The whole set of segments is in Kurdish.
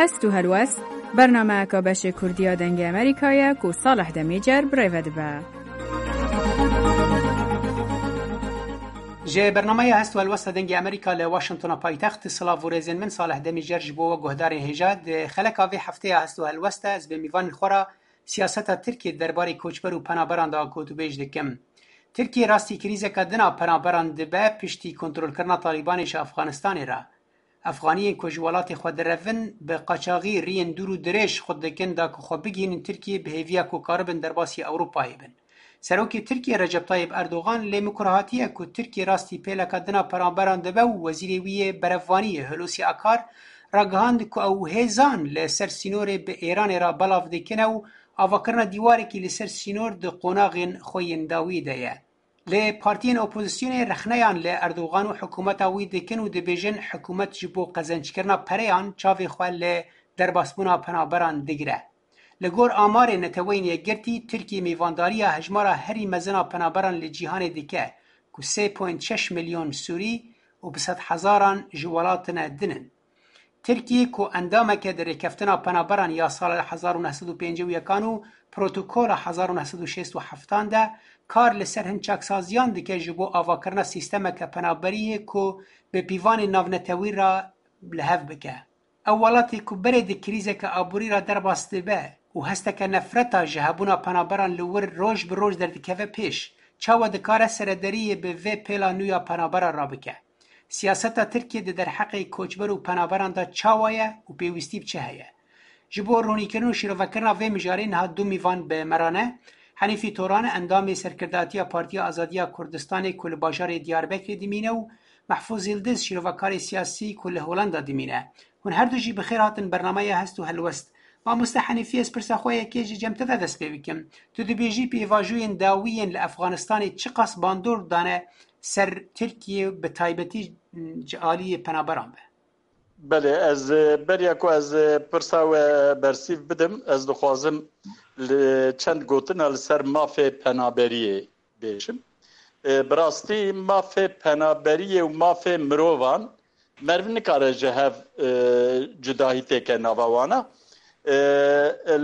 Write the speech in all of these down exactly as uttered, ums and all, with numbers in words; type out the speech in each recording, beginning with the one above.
Hest û helwest, bernameyeka beşê Kurdî ya Dengê Amerîka ye ku Salih Demîcer bi rê ve dibe. Ji bernameya Hest û Helwesta Dengê Amerîka li Washingtona paytext, silav û rêzên min, Salih Demîcer ji bo we guhdarên hêja. Di xeleka vê hefteya Hest û Helwesta ez bi mîvanên xwe re siyaseta Tirkiyê derbarê koçber û penaberan de gotûbêj dikim. Tirkiye rastî krîzeke din a penaberan dibe piştî kontrolkirina Talîbanê ji Efxanistanê re. Efxaniyên ku ji welatê xwe direvin, bi qaçaxî riyên dûr û dirêj xwe dikin da ku xwe bigihînin Tirkiyê bi hêviya ku karibin derbasî Ewropayê bin. Serokê Tirkiyê Recep Tayyip Erdogan lê mikur hatiye ku Tirkiye rastî pêleka din a penaberan dibe û wezîrê wî yê berevvaniyê Hulusi Akar ragihand ku ew hêzan li ser sînorê bi Êranê re belav dikin û avakirina dîwarekî li ser sînor di qonaxên xwe yên dawî de ye. Lê partiyên opozisyonê rexneyan li Erdogan û hikûmeta wî dikin û dibêjin, hikûmet ji bo qezenckirina pereyan çavê xwe li derbasbûna penaberan digire. Li gor amarê Neteweyên Yekgirtî, Tirkiye mêvandariya hejmara herî mezin a penaberan li cîhanê dike, ku sê point şeş milyon Sûrî û bi sedhezaran ji welatine din in. Tirkiyê ku endameke di Rêkeftina Penaberan ya sala hezar û neh sed û pêncî û yekan û Protokola hezar û neh sed û şêst û heftan de kar li ser hin çaksaziyan dike ji bo avakirina sîstemeke penaberiyê ku bi pîvanên navnetewî re li hev bike. Ew welatê ku berê di krîzeke aborî re derbas dibe û hesteke nefreta ji hebûna penaberan li wir roj bi roj derdikeve pêş, çawa dikare serederiyê bi vê pêla nû ya penaberan re bike? Siyaseta Tirkiyê di derheqê koçber û penaberan de çawa ye û pêwîstî bi çi heye? Ji bo ronîkirin û şîrovekirina vê mijarê niha du mîvan bi me re ne. Henîfî Toran, endamê serkirdatiya Partiya Azadiya Kurdistanê ku li bajarê Diyarbekirê dimîne û Mehfûz Yildiz, şîrovekarê siyasî ku li Holanda dimîne. Hûn her du jî bi xêr hatin bernameya Hest û Helwest. Mamoste Henîfî, ez pirsa xwe yekê ji cem te de dest pê bikim. Tu dibêjî pêvajoyên dawî yên li Efxanistanê çiqas bandor dane ser Tirkiye, bi taybetî ji aliyê penaberan be? Belê, ez, e, beriya ku ez, e, pirsa we bersîv bidim, ez dixwazim li çend gotina li ser mafê penaberiyê bêjim. E, bi rastî mafê penaberiyê û mafê mirovan meriv nikare ji hev, e, cudahî têke nava wana. E,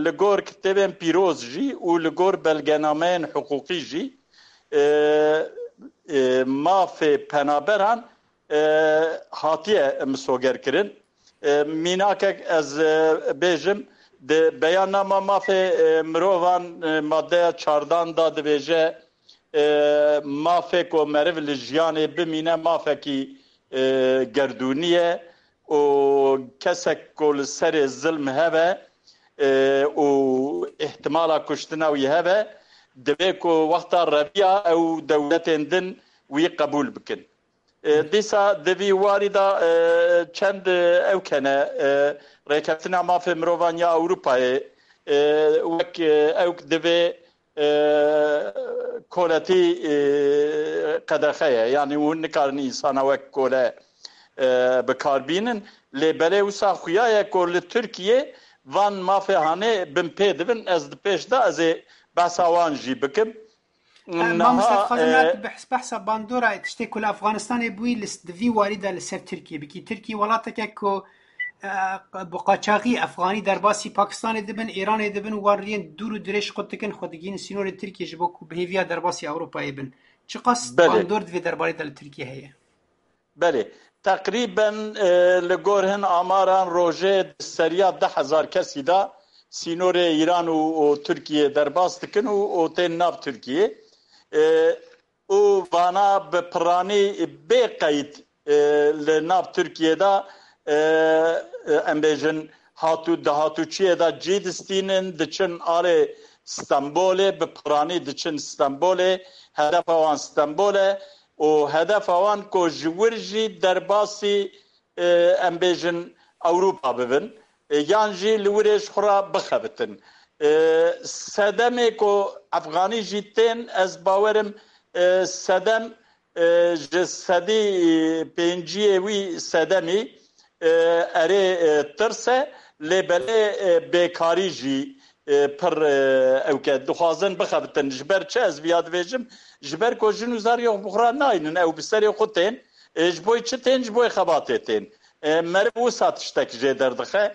li gor kitêbên pîroz jî û li gor belgenameyên hiqûqî jî, e, e, mafê penaberan, e, hatiye misogerkirin. E, mînakek ez, e, bêjim, di beyannama mafê, e, mirovan, e, maddeya çardan da dibêje, e, mafê ku meriv li jiyanê bimîne mafekî, e, gerdûnî ye û kesek ku li serê zilm hebe, e, û îhtimala kuştina wî hebe, divê ku wexta reviya ew dewletên din wî qebûl bikin. E, dîsa di vî warî de, e, çend, e, ewk hene, e, Rêkeftina Mafê Mirovan ya Ewropayê, e, wek, e, ewk divê, e, koletî, e, qedexe ye. Yanî hûn nikarin însana wek kole, e, bi kar bînin. Lê belê wisa xuya ye ku li Tirkiyê van mafê hanê bin pê dibin. Ez di pêş de ez ê behsa wan jî bikim. E, Niha, mamoste, dixwazim e, niha tu behs-, behsa bandora tiştê ku li Efxanistanê bûyî li s-, di vî warî de li ser Tirkiyê bikî. Tirkiye welateke ku, e, bi qaçaxî Efxanî derbasî Pakistanê dibin, Îranê dibin, wan riyên dûr û dirêj qut dikin, xwe digihînin sînorê Tirkiyê ji bo ku bi hêviya derbasî Ewropayê bin. Çiqas Belê. bandor di vê derbarê de li Tirkiyê heye? Belê. Teqrîben, e, li gor hin amaran rojê di seriya deh hezar kesî de sînorê Îran û, û Tirkiyê derbas dikin û, û tên nav Tirkiyê. E, û vana bi piranî bê qeyd, e, li nav Tirkiyê de, e, e, em bêjin, hatû, di hatûçiyê de cî distînin, diçin alê Stenbolê, bi piranî diçin Stenbolê, hedefa wan Stenbol e û hedefa wan ku ji wir jî derbasî, e, em bêjin Ewropa bibin, e, yan jî li wirê ji xwe re bixebitin. E, sedemê ku Efxanî jî tên, ez bawerim, e, sedem, e, ji sedî pênciyê wî sedemî, e, erê, e, tirs e, lê belê, e, bêkarî jî, e, pir, e, ewk e. Dixwazin bixebitin. Ji ber çi ez viya dibêjim? Ji ber ku jin û zariyê xwe bi xwe re naynin, ew bi serê xwe tên. E, ji bo çi tên? Ji bo xebatê tên. E, meriv wisa tiştek jê derdixe.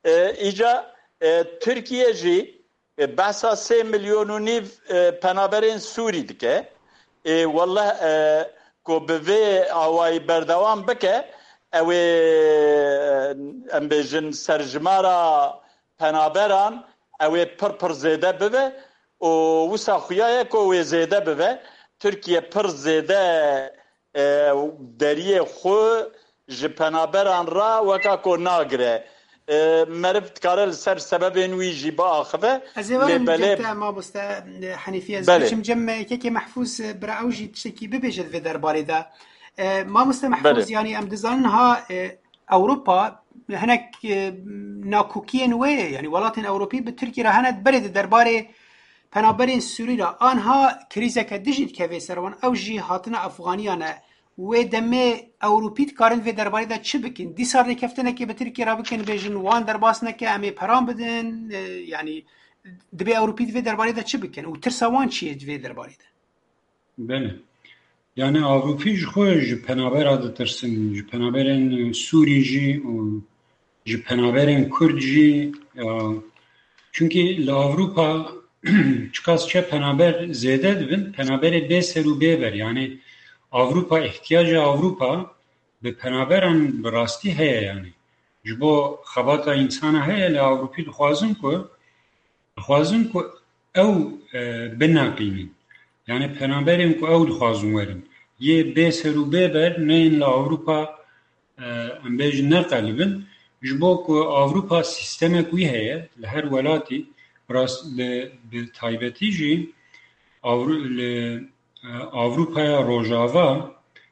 E, îca e, Tirkiye jî e, behsa sê milyon û nîv e, penaberên Sûrî dike. E, welleh e, ku bi vê awayî berdewam bike, ew ê, e, em bêjin serjimara penaberan ew ê pir pir zêde bibe û wisa xuya ye ku wê zêde bibe. Tirkiye pir zêde e, deriyê xwe ji penaberan re weka ku nagire. E, meriv dikare li ser sebebên wî jî biaxive. Ez ê werim cem te, mamoste Henîfî, ez Belê. Biçim cem yekekê Mehfûz, e, bira ew jî tiştekî bibêje di vê derbarê de. E, mamoste Mehfûz, Belê. Yanî em dizanin ha, e, Ewropa hinek, e, nakokiyên wê ye. Yanî welatên Ewropî bi Tirkî re hene berê di derbarê penaberên Sûrî re. Anha krîzeke dijî dikeve ser wan. Ew jî hatina Efxaniyan e. Wê demê Ewropî dikarin vê derbarê de çi bikin? Dîsa rêkeftinekê bi Tirkî re bikin, bêjin wan derbas neke, em ê peran bidin. E, yanî dibê Ewropî di vê derbarê de çi bikin? Û tirsa wan çi ye di vê derbarê de? Belê. Yani Ewropî ji xwe ji penabera ditirsin, ji penaberên Sûrî jî û ji penaberên Kurd jî, e, çunkî li Ewropa çiqas çe penaber zêde dibin, penaberê bê ser û bê ber. Yani Ewropa, ihtiyaca Ewropa bi penaberan bi rastî heye yani. Ji bo xebata însana heye, li Ewropî dixwazin ku, dixwazin ku ew, e, bineqînin. Yani penaberên ku ew dixwazin werin. Yê bê ser û bê ber neyên li Ewropa, e, em bêjin neqelibin. Ji bo ku Ewropa sîstemek wî heye, li her welatî, bi rast-, bi, bi taybetî jî Ewro-, li, e, Ewropaya Rojava,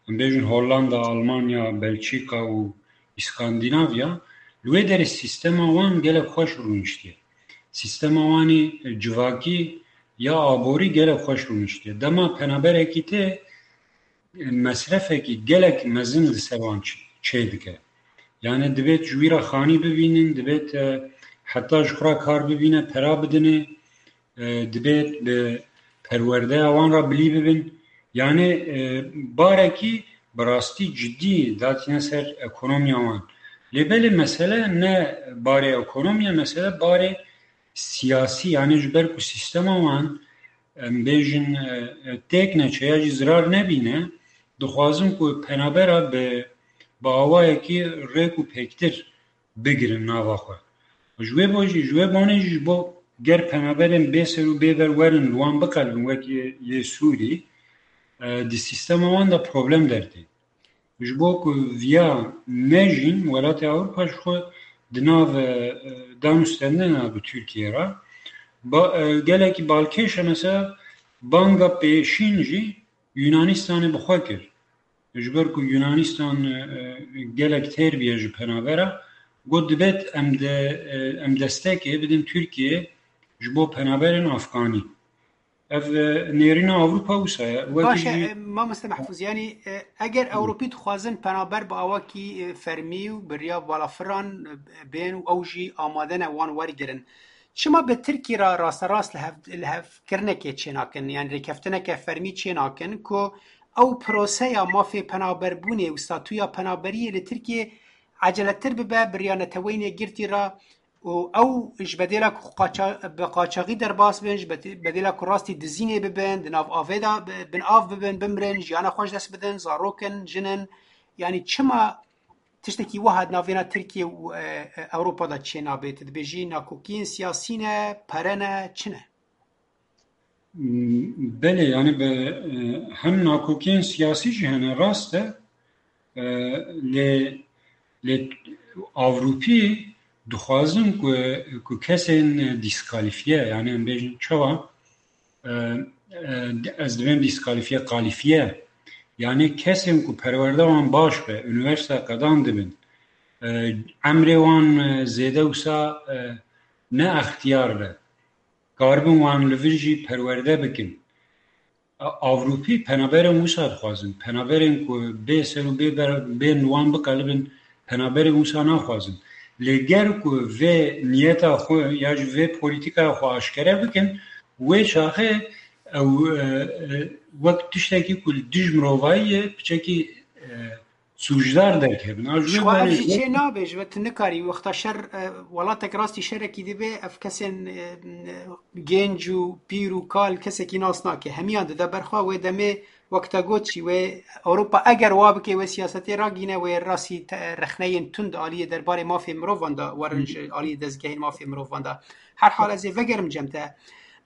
em bêjin Hollanda, Almanya, Belçîka û Îskandinavya, li wê derê sîstema wan gelek xweş rûniştiye. Sîstema wanî civakî ya aborî gelek xweş rûniştiye. Dema penaberekî tê, mesrefekî gelek mezin li ser wan çi-, çê dike. Yani dibêt ji wî re xanî bibînin, dibêt, e, heta ji xwe re kar bibîne, pera bidinê, e, dibêt bi perwerdeya wan re bilî bibin. Yani, e, barekî bi rastî cidî datîne ser ekonomiya wan. Lê belê mesele ne barê ekonomiya, mesele barê siyasî, yani ji ber ku sîstema wan, em bêjin, e, e, têk neçe ya jî zirar nebîne, dixwazin ku penabera bi, bi awayekî rêk û pêktir bigirin nava xwe. Ji wê bo jî, ji wê bonê jî ji bo ger penaberên bê ser û bê ber werin, li wan biqelibin wek yê, yê Sûrî, e, di sîstema wan de problem dertê. Ji bo ku viya nejîn, welatê Ewropa ji xwe di nav, e, danûstendina bi Tirkiyê re, ba-, e, gelekî balkêş e, mesela banga pêşîn jî Yunanistanê bi xwe kir. Ji ber ku Yunanistan, e, e, gelek têr bûye ji penabera, got dibêt em de, e, em destekê bidin Tirkiyê ji bo penaberên Afganî. Ev, e, nêrîna Ewropa wisa ye. Wekî Baş e, jî e, Mamoste Mehfûz, yanî, e, eger Ewropî dixwazin penaber bi awakî, e, fermî û bi riya balafir re, e, bên û ew jî amade ne wan wergirin, çima bi Tirkî re rasterast li hev-, li hevkirinekê çênakin, yanî rêkeftineke fermî çênakin ku ew proseya mafê penaberbûnê û statûya penaberiyê li Tirkiyê eceletir bibe bi riya Neteweyên Yekgirtî re û ew ji bedêla ku qaça-, bi qaçaxî derbas bin, ji bete-, bedêla ku rastî dizînê bibin, di nav avê de bi-, bin av bibin, bimrin, jiyana xwe ji dest bidin, zarok in, jin in. Yanî çima tiştekî wiha di navbêna Tirkiye û, e, e, Ewropa de çênabe? Tu dibêjî nakokiyên siyasî ne, pere ne, çi ne? Belê, yani bi, e, hem nakokiyên siyasî jî hene, rast e. E, lê, lê Ewropî dixwazin ku, ku kesên dîskalifiye, yani em bêjin çawa, e, e, ez dibêm dîskalifiye, kalifiye. Yani kesên ku perwerde wan baş be, unîversîte qedan dibin, e, emrê wan, e, zêde wisa, e, ne extiyar be. Karibin wan li vir jî perwerde bikin. A-, Ewropî penaberên wisa dixwazin. Penaberên ku bê ser û bê ber-, bên li wan biqelibin, penaberên wisa naxwazin. Lê ger ku vê niyeta xwe ya jî vê polîtîkaya xwe aşkere bikin, wê çaxê ew, e, e, wek tiştekî ku li dij mirovayî ye, piçekî, e, sûcdar derkevin. A ji Ji vê xwe ev derê jî çê nabe, ji ve tu nikarî wexta şer, e, welatek rastî şerekî dibe, ev kesên, e, genc û pîr û kal kesekî nas nake. Hemiyan dide ber xwe, wê demê wek te got jî wê Ewropa eger wa bike, wê siyasetê ragîne, wê rastî te-, rexneyên tund aliyê derbarê mafê mirovan de werin, ji aliyê dezgehên mafê mirovan de. Her hal ez ê vegerim cem te.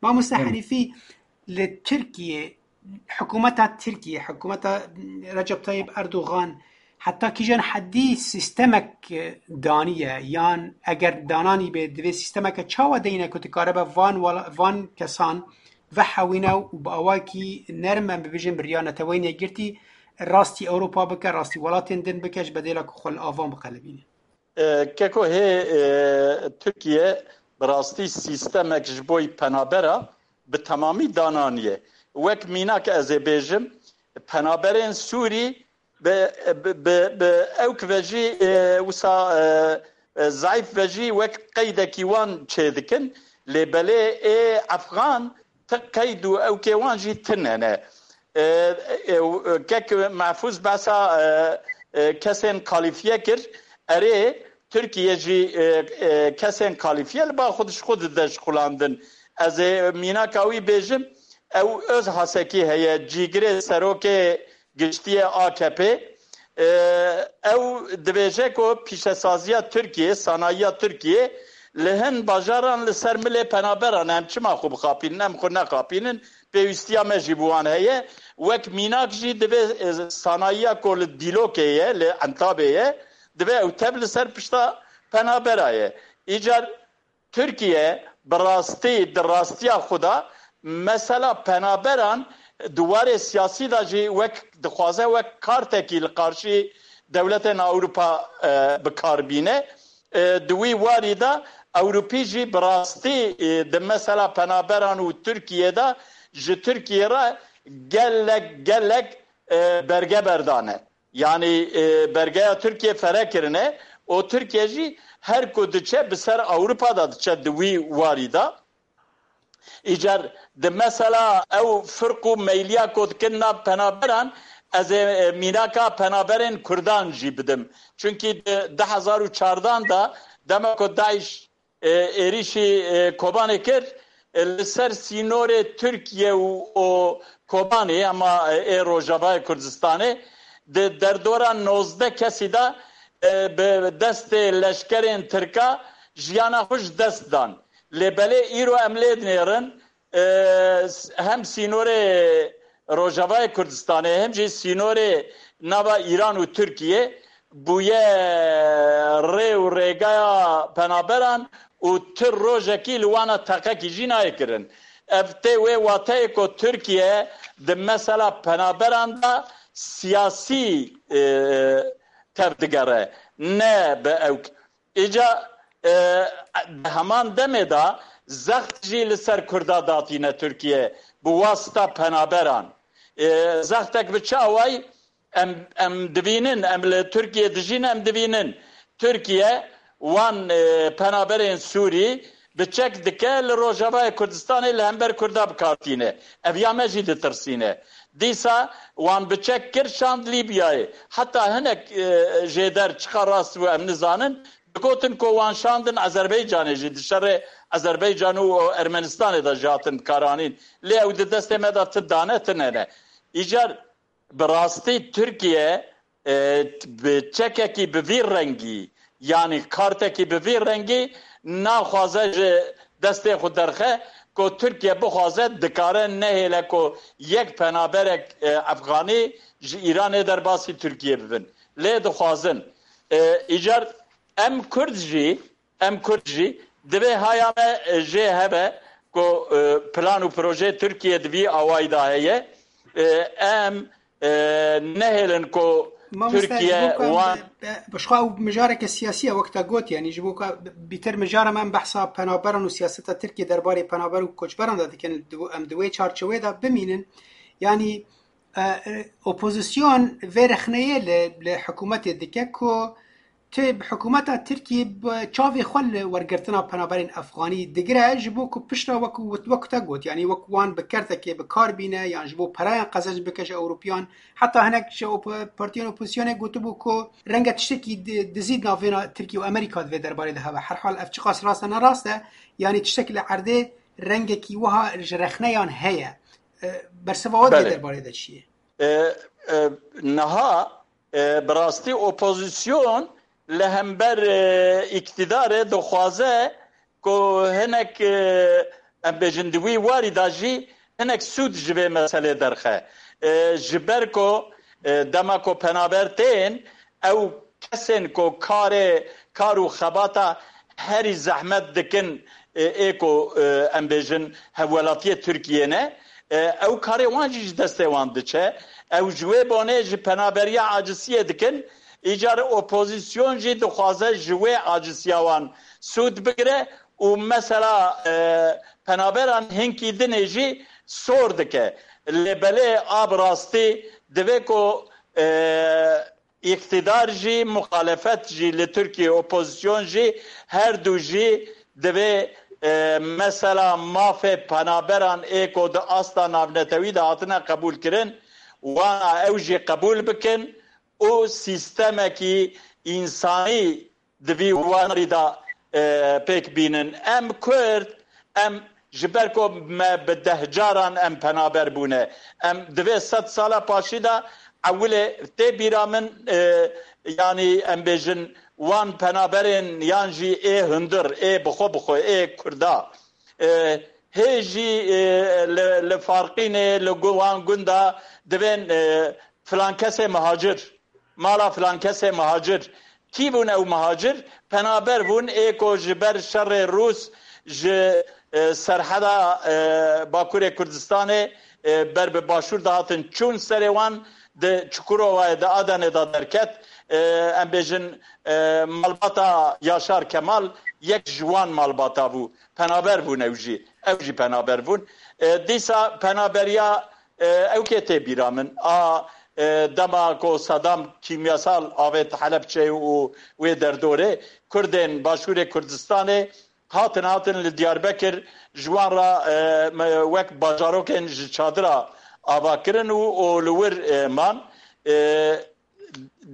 Mamoste Herîfî, li Tirkiye, hikûmeta Tirkiye, hikûmeta Recep Tayyip Erdogan heta kîjan hedî sîstemek daniye, yan eger dananî be, divê sîstemeke çawa deyne ku dikaribe van wala-, van kesan vehewîne û bi awakî nerm, em bibêjin bi riya Neteweyên Yekgirtî, rastî Ewropa bike, rastî welatên din bike, ji bedêla ku xwe li avan biqelibîne? E, Keko hê, e, Tirkiye bi rastî sîstemek ji bo penabera bi temamî dananiye. Wek mînak ez ê bêjim, penaberên Sûrî bi, bi, bi, bi ewk ve jî, e, wisa, e, e, zayîf ve jî wek qeydekî wan çêdikin. Lê belê ê Efxan ti qeyd û ewkê wan jî tune ne. E, e, e, kek Mehfûz behsa, e, e, kesên kalîfiye kir. Erê, Tirkiye jî, e, e, kesên kalîfiye li ba xwe ji xwe dide şixulandin. Ez ê mînaka wî bêjim, ew Öz Hasekî heye, cîgirê serokê giştî yê A K P. E, ew dibêje ku pîşesaziya Tirkiye, sanayiya Tirkiye li hin bajaran li ser milê penaberan e. Em çima xwe bixapînin, em xwe nexapînin, pêwîstiya me jî bi wan heye. Wek mînak jî divê, e, sanayiya ku li Dîlokê ye, li Entabê ye, divê ew tev li ser pişta penabera ye. Îcar Tirkiye bi rastî, di rastiya xwe de mesela penaberan di warê siyasî de jî wek dixwaze wek kartekî li qarşî dewletên Ewropa, e, bi kar bîne. E, di wî warî de Ewropî jî bi rastî, e, di mesela penaberan û Tirkiye de ji Tirkiye re gelek gelek, e, berge berdane. Yanî, e, bergeya Tirkiye fere kirine û Tirkiye jî her ku diçe bi ser Ewropa de diçe di wî warî de. Îcar di mesela ew firq û meyliya ku dikin nav penaberan, ez ê, e, mînaka penaberên Kurdan jî bidim. Çunkî di du hezar û çardan de dema ku DAIŞ, e, êrîşî, e, Kobanê kir, e, li ser sînorê Tirkiye û, û Kobanê, hema, e, ê Rojavayê Kurdistanê, di derdora nozdeh kesî de, e, bi destê leşkerên Tirka jiyana xwe ji dest dan. Lê belê îro em lê dinêrin, e, s-, hem sînorê Rojavayê Kurdistanê, hem jî sînorê nava Îran û Tirkiye bûye rê û rêgaya penaberan û ti rojekî li wana teqekî jî nayê kirin. Ev tê wê wateyê ku Tirkiye di mesela penaberan de siyasî, e, tevdigere, ne bi ewk. Îca, e, di heman demê de zext jî li ser Kurda datîne Tirkiye bi wasita penaberan. E, zextek bi çi awayî? Em, em divînin, em li Tirkiye dijîn, em divînin. Tirkiye wan, e, penaberên Sûrî bi çek dike li Rojavayê Kurdistanê li hember Kurda bi kar tîne. Ev ya me jî ditirsîne. Dîsa wan bi çek kir şand Lîbyayê. Heta hinek, e, jêder çiqa rast bû em nizanin. Digotin ku wan şandin Azerbaycanê jî, di şerê Azerbaycan û Ermenistanê de jî hatin bikaranîn. Lê ew di destê me de ti dane, ti nene. Îcar bi rastî Tirkiye, e, bi çekekî bi vî rengî, yanî kartekî bi vî rengî naxwaze ji destê xwe derxe ku Tirkiye bixwaze dikare nehêle ku yek penaberek, e, Efxanî ji Îranê derbasî Tirkiye bibin. Lê dixwazin. E, îcar em Kurd jî, em Kurd jî divê haya me, e, jê hebe ku, e, plan û projeyê Tirkiye di vî awayî de heye. E, em, e, nehêlin ku Mamoste, Tirkiye ji bo ku em wan bi, bi, bi xwe ew mijareke siyasî ye, wek te got, yanî ji bo ku bîtir mijara me em behsa penaberan û siyaseta Tirkiye derbarê penaber û koçberan de dikin, di, em di wê çarçewê de bimînin. Yanî, e, e, opozîsyon vê rexneyê li, li hikûmetê dike ku Tê bi hikûmeta Tirkiyê bi çavê xwe li wergirtina penaberên Efxanî digire, ji bo ku pişta wek, wek te got, yanî wek wan bi kertekê bi kar bîne, yan ji bo perayan qezenc bike ji Ewropiyan. Heta hinek ji opo-, partiyên opozisyonê gotibû ku renge tiştekî di-, dizî di navêna Tirkiye û Amerîka di vê derbarê de hebe. Herhal ev çiqas rast e, ne rast e, yanî tiştek li erdê rengekî wiha ji rexneyan heye. E, bersiva we di vê Belê. derbarê de çi ye? E, e, niha, e, bi rastî opozîsyon li hember, e, îktîdarê dixwaze ku hinek, e, em bêjin di wî warî de jî hinek sûd ji vê meselê derxe. E, ji ber ku, e, dema ku penaber tên, ew kesên ku karê, kar û xebata herî zehmet dikin, e, ê ku, e, em bêjin hevwelatiyê Tirkiyê ne, e, ew karê wan jî ji destê wan diçe. Ew ji wê bonê ji penaberiya acisiyê dikin. Îcar opozîsyon jî dixwaze ji wê acisiya wan sûd bigire û mesela, e, penaberan hinkî dinê jî sor dike. Lê belê a bi rastî divê ku, e, îktidar jî, muxalefet jî li Tirkiye, opozîsyon jî, her du jî divê, e, mesela mafê penaberan ê ku di asta navnetewî de hatine qebûlkirin, wana ew jî qebûl bikin û sîstemekî însanî di vî warî de, e, pêk bînin. Em Kurd, em ji ber ku me bi dehcaran em penaber bûne. Em divê sed sala paşî de ewilê tê bîra min, e, yanî em bêjin wan penaberên yan jî ê hundir, ê bi xwe bi xwe, ê Kurda. E, hê jî, e, li, li Farqînê, li gu-, wan gunda divên, e, filan kesê mihacir, mala filan kesê mihacir. Kî bûn ew mihacir? Penaber bûn, ê ku ji ber şerê Rûs ji, e, serheda, e, Bakurê Kurdistanê, e, ber bi Başûr dihatin çûn serê wan, di Çukurovayê, di Adenê de derket. E, em bêjin, e, malbata Yaşar Kemal yek ji wan malbata bû. Penaber bûn ew jî. Ew jî penaber bûn. E, dîsa penaberiya, e, ew kê tê bîra min. A, e, dema ku Saddam kîmyasal avêt Helebçeyê û wê derdorê, Kurdên Başûrê Kurdistanê hatin, hatin li Diyarbekir ji wan re, e, me, wek bajarokên ji çadira ava kirin û, û li wir, e, man. E,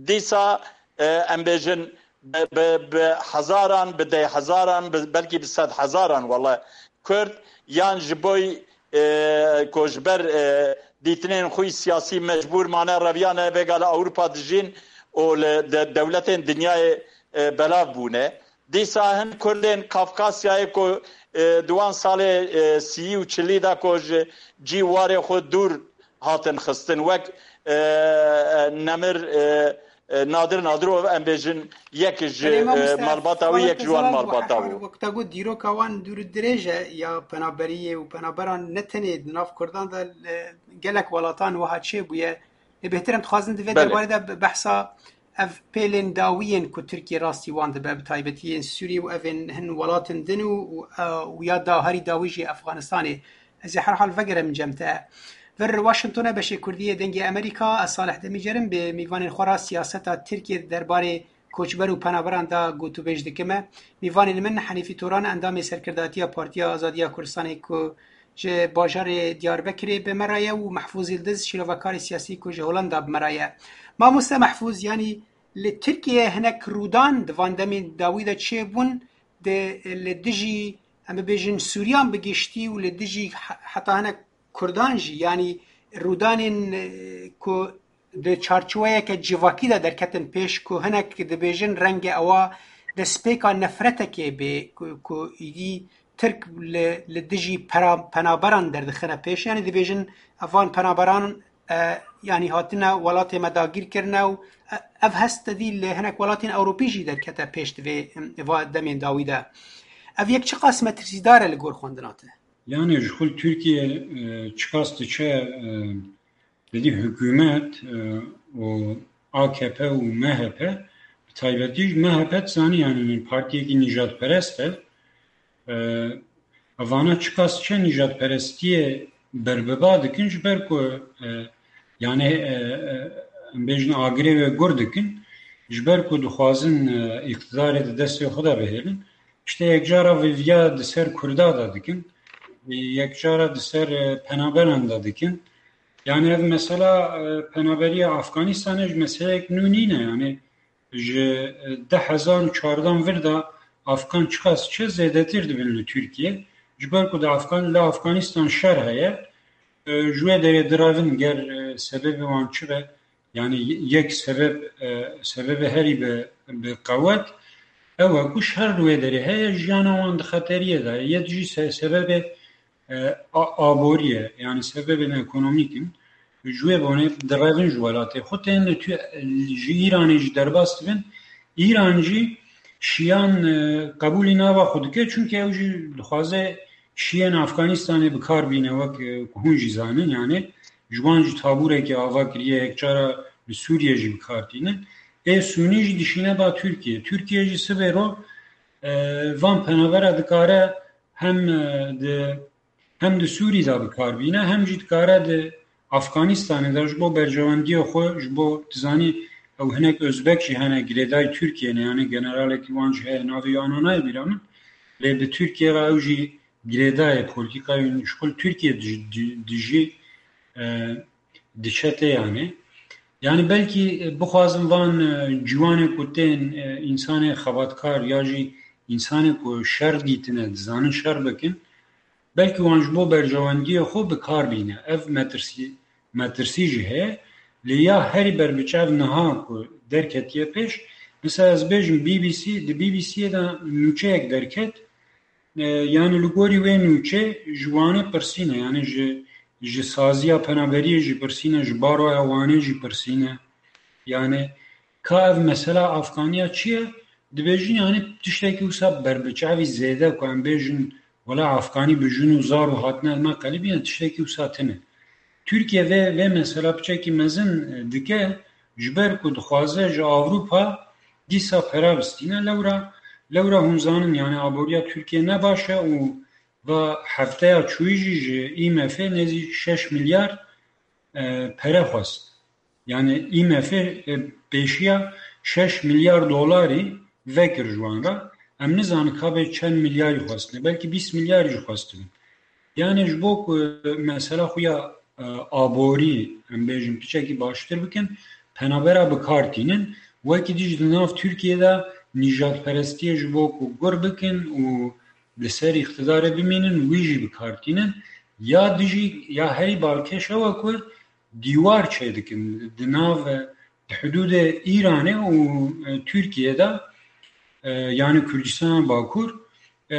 dîsa, e, em bêjin bi, bi, bi hezaran, bi deh hezaran, bi, belkî bi sed hezaran wele Kurd yan ji boy, e, ku ji ber, e, dîtinên xwe yî siyasî mecbûr mane, reviyane vêga li Ewropa dijîn û li de-, dewletên dinyayê, e, belav bûne. Dîsa hin Kurdên Kafkasyayê ku, e, di wan salê, e, sî û çilî de ku ji cî warê xwe dûr hatin xistin, wek, e, e, Nemir, e, e, Nadir Nadirov, em bêjin, yek ji, Belê, e, mamoste, malbata wî, yek ji wan malbata bû. Wek te got, dîroka wan dûr û dirêj e ya penaberiyê û penaberan ne tenê di nav Kurdan de, e, gelek welatan wiha çêbûye. Lê bêhtir em dixwazin di vê Belê. derbarê de be-, behsa ev pêlên dawî yên ku Tirkiye rastî wan dibe, bi taybetî yên Sûriyê û ev ên hin welatin din û, û, e, û ya da herî dawî jî Efxanistanê. Ez ê herhal vegerim cem te. Vir Washingtonê beşê Kurdî yê Dengê Amerîka, ez Salih Demîcer im, bi mîvanên xwe re siyaseta Tirkiye di derbarê koçber û penaberan de gotûbêj dikime. Mîvanên min Henîfî Toran, endamê serkirdatiya Partiya Azadiya Kurdistanê ku ji bajarê Diyarbekirê bi me re ye û Mehfûz Yildiz, şîrovekarê siyasî ku ji Holanda bi me re ye. Mamoste Mehfûz, yanî li Tirkiye hinek rûdan di van demên dawî de çêbûn, di, li dijî, em bibêjin, Sûriyan bi giştî û li dijî he-, heta hinek Kurdan jî, yanî rûdanên, e, ku di çarçoweyeke civakî de derketin pêş, ku hinek dibêjin renge ewa destpêka nefretekê bê, ku, ku îdî Tirk li, li dijî pera-, penaberan derdixine pêş. Yanî dibêjin evan penaberan, e, yanî hatine welatê me dagîr kirine û, e, ev hest tevî li hinek welatên Ewropî jî derkete pêş di vê, em, va demên dawî de. Ev yek çiqas metirsîdar e li gor xwendina te? Yanî ji xwe li Tirkiye, e, çiqas diçe, e, Belê hikûmet, e, û A K P û M H P, bi taybetî jî M H P dizanî, yanî partiyekî nîjadperest e. E, evana çiqas çe nîjadperestiyê berbiba dikin, ji ber ku, e, yanî, e, e, em bêjin agirê wê gur dikin. Ji ber ku dixwazin, e, îqtidarê di destê xwe de bihêlin, işte yekcara vêviya di ser Kurda de dikin, e, yekcara di ser, e, penaberan de dikin. Yani ev mesela, e, penaberiya Afganistanê ji meseleyek nû nîne. Yani ji, e, du hezar û çardan vir de Afgan çiqas çi zêdetir dibin li Tirkiye. Ji ber ku di Afgan-, li Afganistan şer heye, e, ji wê derê direvin ger, e, sebebê wan çi be, yani yek sebeb, e, sebebê herî bi, bi qewet ew e ku şer li wê derê heye, jiyana wan di xeteriyê de ye. Yek jî se-, sebebê, e, a-, aborî ye, yani sebebên ekonomîk in. Ji wê bonê direvin ji welatê xwe, tên li tu-, ji Îranê jî derbas dibin. Îran jî şiyan, e, qebûlî nava xwe dike, çunke ew jî dixwaze şiyên Afganistanê bi kar bîne, wek, e, ku hûn jî zanin, yani ji wan jî tabûrekê ava kiriye, yekcara li Sûriye jî bi kar tînin. Ê Sûnî jî dişîne ba Tirkiye. Tirkiye jî sibê ro, e, van penabera dikare hem, e, di, hem di Sûrî de bi kar bîne, hem jî dikare di Afganistanê de ji bo berjewendiyê xwe, ji bo, dizanî, ew hinek Özbek jî hene girêdayî Tirkiye ne, yani generalekî wan jî heye, navê wî ana nayê bîra min. Lê bi Tirkiye re ew jî girêdayê polîtîkayên ji xwe li Tirkiye dij-, di-, dijî, e, diçe tê yani. Yani belkî, e, bixwazin van, e, ciwanê ku tên, e, însanê xebatkar ya jî însanê ku şer dîtine, dizanin şer bikin, belkî wan ji bo berjewendiyê xwe bi kar bîne. Ev metirsî, metirsî jî heye. Lê ya herî berbiçav niha ku derketiye pêş, mesela ez bêjim B B C, di B B C'yê de nûçeyek derket, e, yani li gorî wê nûçê ji Wanê pirsîne, yani ji, ji saziya penaberiyê jî pirsîne, ji baroya Wanê jî pirsîne. Yani ka ev mesela Afganiya çi ye? Dibêjin yani tiştekî wisa berbiçavî zêde ku em bêjin wela Afganî bi jin û zar û hatine li me qelibîne, tiştekî wisa tine. Tirkiye vê, vê mesela piçekî mezin, e, dike, ji ber ku dixwaze ji Ewropa dîsa pera bistîne. Lewra, lewra hûn zanin, yani aboriya Tirkiye ne baş e û va hefteya çûyî jî ji I M F nêzî şeş milyar, e, pere xwest. Yani I M F, e, pêşiya şeş milyar dolarî vekir ji wan re. Em nizanin ka bê çend milyarî xwestine. Belkî bîst milyarî jî xwestibin. Yani ji bo ku, e, mesela xwe ya, e, aborî, em bêjin, piçekî baştir bikin, penabera bi kar tînin. Wekî dî jî di nav Tirkiye de nîjadperestiyê ji bo ku gur bikin û li ser îqtidarê bimînin, wî jî bi kar tînin. Ya dijî, ya herî balkêş ew e ku dîwar çêdikin di nav, di hidûdê Îranê û, e, Tirkiye de, e, yani Kurdistana Bakur, e,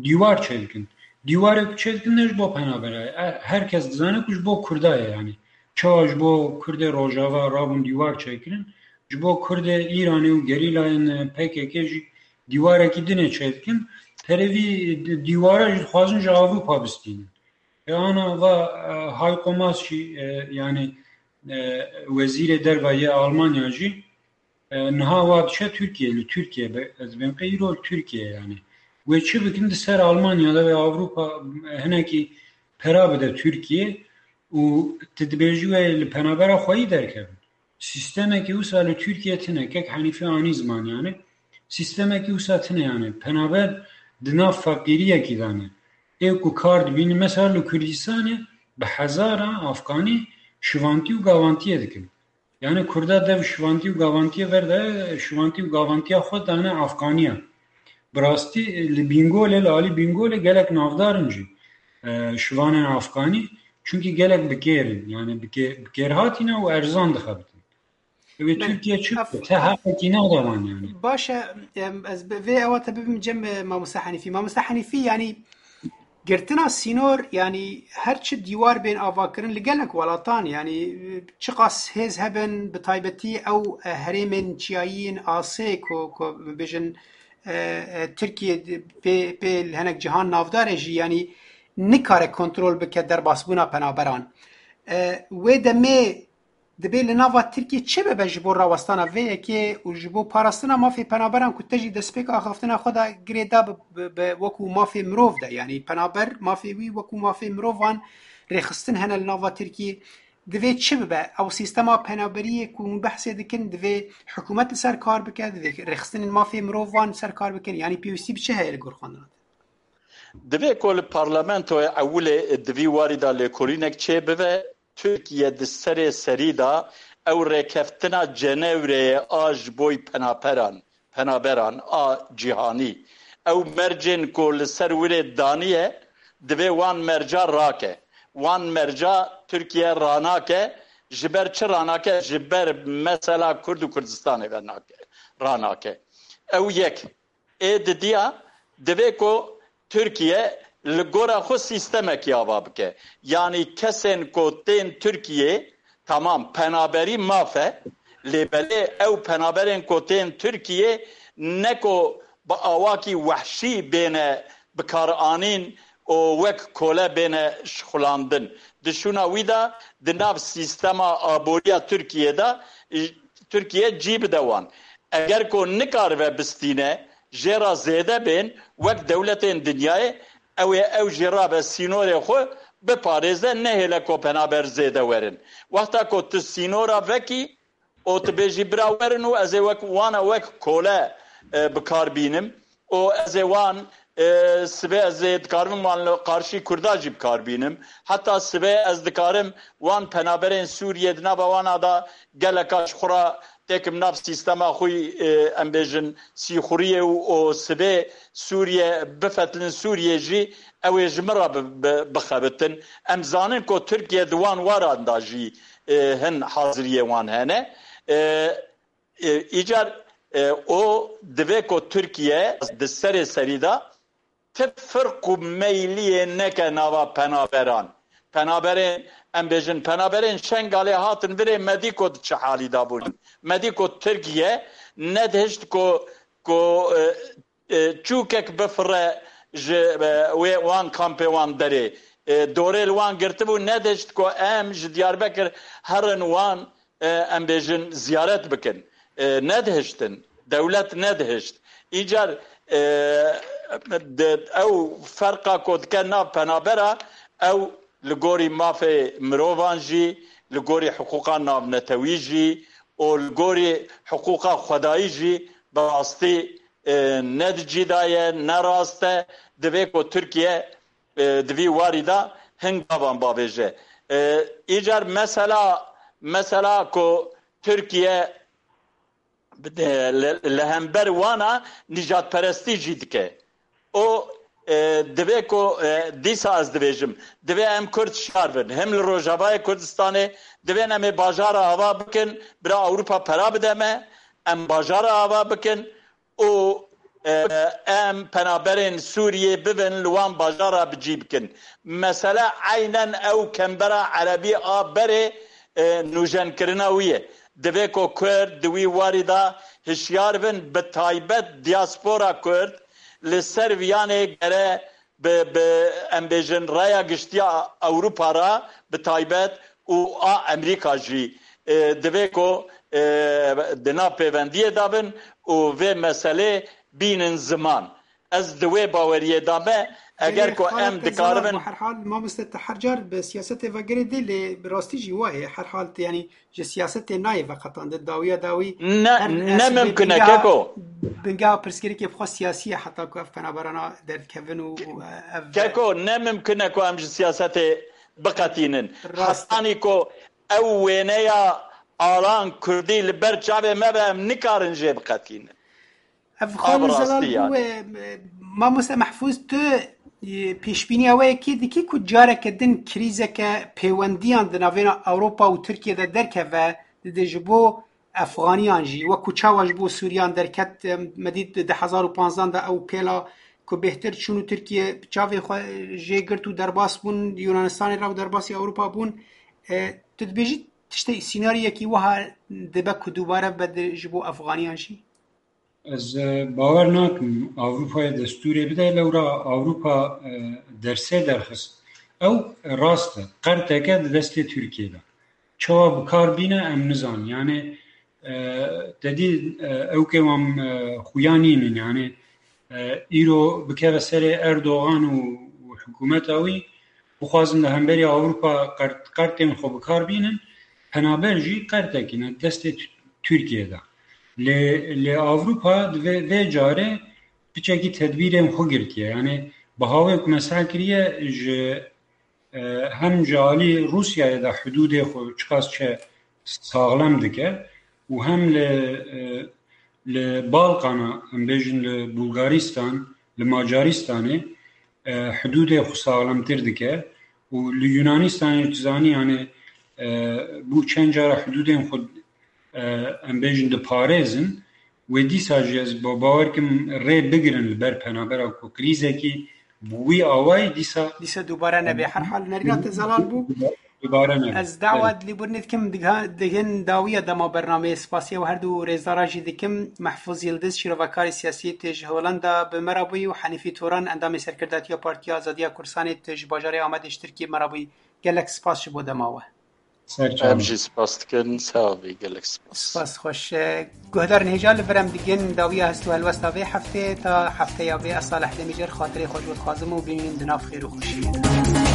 dîwar çêdikin. Dîwarê ku çêdikin ne ji bo penabera ye. E, her kes dizane ku ji bo Kurda ye yani. Çawa ji bo Kurdê Rojava rabûn dîwar çêkirin, ji bo Kurdê Îranê û gerîlayên, e, P K K jî dîwarekî dinê çêdikin. Terê vî di-, dîwara jî dixwazin ji Ewropa bistînin. E, ana va, e, Heiko Maas jî, e, yani, e, wezîrê derve yê Almanya jî, e, niha wa diçe Tirkiye, li Tirkiye be, ez bên qey îro li Tirkiye yani. Wê çi bikin, di ser Almanya de ve Ewropa, e, hinekî pera bide Tirkiye û tu dibêjî wê li penabera xweyî derkevin. Sîstemekî wisa li Tirkiye tine, kek Henîfî anî ziman yani. Sîstemekî wisa tine yani. Penaber di nav feqîriyekî de ne. Ê ku kar dibînin, mesela li Kurdistanê bi hezara Afganî şivantî û gavantiyê dikin. Yani Kurda dev şivantî û gavantiyê verde, şivantî û gavantiya xwe dane Afganiya. Bi rastî, e, li Bîngolê, li alî Bîngolê gelek navdar in jî, e, şivanên Afganî. Çunkî gelek bi kêr in, yani bi kê-, bi kêr hatîne û erzan dixebitin. Wê Belê. Tirkiye çi Ev- bike? Te heqekî nade wan yani. Baş e, em, ez bi vê ewa te bibim cem, e, Mamoste Henîfî. Mamoste Henîfî, yani girtina sînor, yani her çi dîwar bên avakirin li gelek welatan, yani, e, çiqas hêz hebin, bi taybetî ew, e, herêmên çiyayî yên asê ku, ku bibêjin, e, e, Tirkiye pê, pê li hinek cihan navdar e jî, yani nikare kontrol bike derbasbûna penaberan. E, wê demê dibê li nava Tirkiyê çi bibe ji bo rawestana vê yekê û ji bo parastina mafê penaberan ku te jî destpêka axaftina xwe de girêda bi, bi, bi, wekû mafê mirov de, yanî penaber mafê wî wekû mafê mirovan rêxistin hene li nava Tirkiyê. Divê çi bibe? Ew sîstema penaberiyê ku hûn behsê dikin, divê hikûmet li ser kar bike, divê rêxistinên mafê mirovan li ser kar bikin. Yanî pêwîstî bi çi heye li gor xwendina te? Divê ku li parlamentoyê ewilê di vî warî de lêkolînek çêbibe, Tirkiye di serê serî de ew rêkeftina Cenewreyê a ji boy penaperan, penaberan a cîhanî, ew mercên ku li ser wirê daniye, divê wan merca rake. Wan merca Tirkiye ranake. Ji ber çi ranake? Ji ber mesela Kurd û Kurdistanê ve nake, ranake. Ew yek. Ê didiya, divê ku Tirkiye li gora xwe sîstemekî ava bike. Yanî kesên ku tên Tirkiyê, tamam, penaberî maf e, lê belê ew penaberên ku tên Tirkiyê ne ku bi awakî wehşî bêne bikaranîn û wek kole bêne şixulandin. Di şûna wî de di nav sîstema aboriya Tirkiyê de, Tirkiye cî bide wan. Eger ku nikaribe bistîne, jê re zêde bên, wek dewletên dinyayê, ew ê ew jî rabe sînorê xwe biparêze, nehêle ku penaber zêde werin. Wexta ku tu sînora vekî û tu bêjî bira werin û ez ê wek wana wek kole, e, bi kar bînim û ez ê wan, e, sibê ez ê dikarim wan li qarşî Kurda jî bi kar bînim. Heta sibê ez dikarim wan penaberên Sûriyê di nava wana de geleka ji xwe re têkim nav sîstema xwe, e, em bêjin sîxuriyê û, û sibê Sûriye bifetilin Sûriyê jî ew ê ji min re bi, bi, bixebitin. Em zanin ku Tirkiye di wan waran de jî, e, hin haziriyê wan hene. E, e, îcar, e, o divê ku Tirkiye di serê serî de ti firq û meyliyê neke nava penaberan. Penaberên, em bêjin, penaberên Şengalê hatin virê, me dî ku di çi halî de bûn. Me dî ku Tirkiye nedihişt ku, ku, e, e, çûkek bifire ji, e, wê wan kampê wan derê. E, dorê li wan girtibû, nedihişt ku em ji Diyarbekir herin wan, e, em bêjin, ziyaret bikin. E, nedihiştin. Dewlet nedihişt. Îcar, e, di, ew ferqa ku dike nav penabera, ew li gorî mafê mirovan jî, li gorî hiqûqa navnetewî jî û li gorî hiqûqa xwedayî jî bi rastî, e, ne di cî de ye, ne rast e. Divê ku Tirkiye, e, di vî warî de hin gavan bavêje. E, îcar mesela, mesela ku Tirkiye, e, li, li hember wana nîjadperestî jî dike. O, e, divê ku, e, dîsa ez dibêjim, divê em Kurd şiyar bin. Hem li Rojavayê Kurdistanê divên em ê bajara ava bikin, bira Ewropa pera bide me, em bajara ava bikin û, e, em penaberên Sûriyê bibin, li wan bajara bi cî bikin. Mesele eynen ew kembera erebî a berê, e, nûjenkirina wî ye. Divê ku Kurd di wî warî de hişyar bin, bi taybet diaspora Kurd li ser viyanê gere bi, bi, em bêjin, raya giştiya Ewropa re bi taybet û a Amerîka jî, e, divê ku, e, di nav pêvendiyê de bin û vê meselê bînin ziman. Ez di wê baweriyê de me, eger Belê, ku xalê em te dikaribin zana, herhal, mamoste, te her car bi siyasetê ve girê dê, lê bi rastî jî wa ye. Herhal te, yanî ji siyasetê nayê veqetandin, dawiya dawî Ne, her ne esîbê mimkun e, bingeha, keko. Bingeha pirsgirêkê bi xwe siyasî ye, heta ku ev penaberana derdikevin û, û ev Keko, ne mimkun e ku em ji siyasetê biqetînin. Rast e. Hetanî ku ew wêneya Alan Kurdî li ber çavê me be, em nikarin jê biqetînin. Ev Ev xalê rastî zelal bû, yani. E, e, Mamoste Mehfûz, tu, e, pêşbîniya wê yekê dikî ku careke din krîzeke pêwendiyan di navêna Ewropa û Tirkiye de derkeve, dide ji bo Efxaniyan jî, wekû çawa ji bo Sûriyan derket, e, me dît di du hezar û panzdeh de ew pêla ku bêhtir çûn û Tirkiye çavê xwe jê girt û derbas bûn, Yunanistanê re û derbasî Ewropa bûn. E, tu dibêjî tiştê sînariyekî wiha dibe ku dubare bibe di, ji bo Efxaniyan jî? Ez, e, bawer nakim Ewropayê destûrê bide, lewra Ewropa, e, dersê derxist. Ew rast e, qerteke di destê Tirkiyê de. Çawa bi kar bîne em nizanin. Yani, e, te dî, e, ew ke wan, e, xuya nînin. Yani, e, îro bikeve serê Erdogan û, û hikûmeta wî, bixwazin li hemberî Ewropa qert, qertên xwe bi kar bînin, penaber jî qertekî ne destê Tirkiyê de. Lê, lê Ewropa di vê, vê carê piçekî tedbîrên xwe girtiye. Yani bi hawê ku me seh kiriye ji, e, hem ji alî Rûsyayê de hudûdê xwe çiqas çe saxlem dike û hem li, e, li Balkana, em bêjin li Bulgaristan, li Macaristanê, e, hudûdê xwe saxlemtir dike û li Yunanistanê tu zanî, yani, e, bû çend cara hudûdên xwe, e, em bêjin diparêzin, wê dîsa jî ez ba-, bawer kim rê bigirin li ber penabera ku krîzekî bi wî awayî dîsa Dîsa dubare nebe. Her hal nerîna te zelal bû. Dubare nebe. Ez dawa dilîbûrinê dikim, diga-, digin dawiya dema bernameyê. Spasiya we her du rêzdara jî dikim. Mehfûz Yildiz, şîrovekarê siyasî, tu ji Holanda bi me re bûyî û Henîfî Turan, endamê serkirdatiya Partiya Azadiya Kurdistanê, tu ji bajarê Amedê ji Tirkiyê me re bûyî. Gelek spas ji bo dema we. Ser çavan. Em jî spas dikin, sax bî, gelek spas. Spas xweş. Guhdarên hêja, li vir em digin dawiya hest û helwesta vê heftê. Ta hefteya vê, ez Salih Demîcer, xatirê xwe ji we dixwazim û bimînin di nav xêr û xweşiyê de.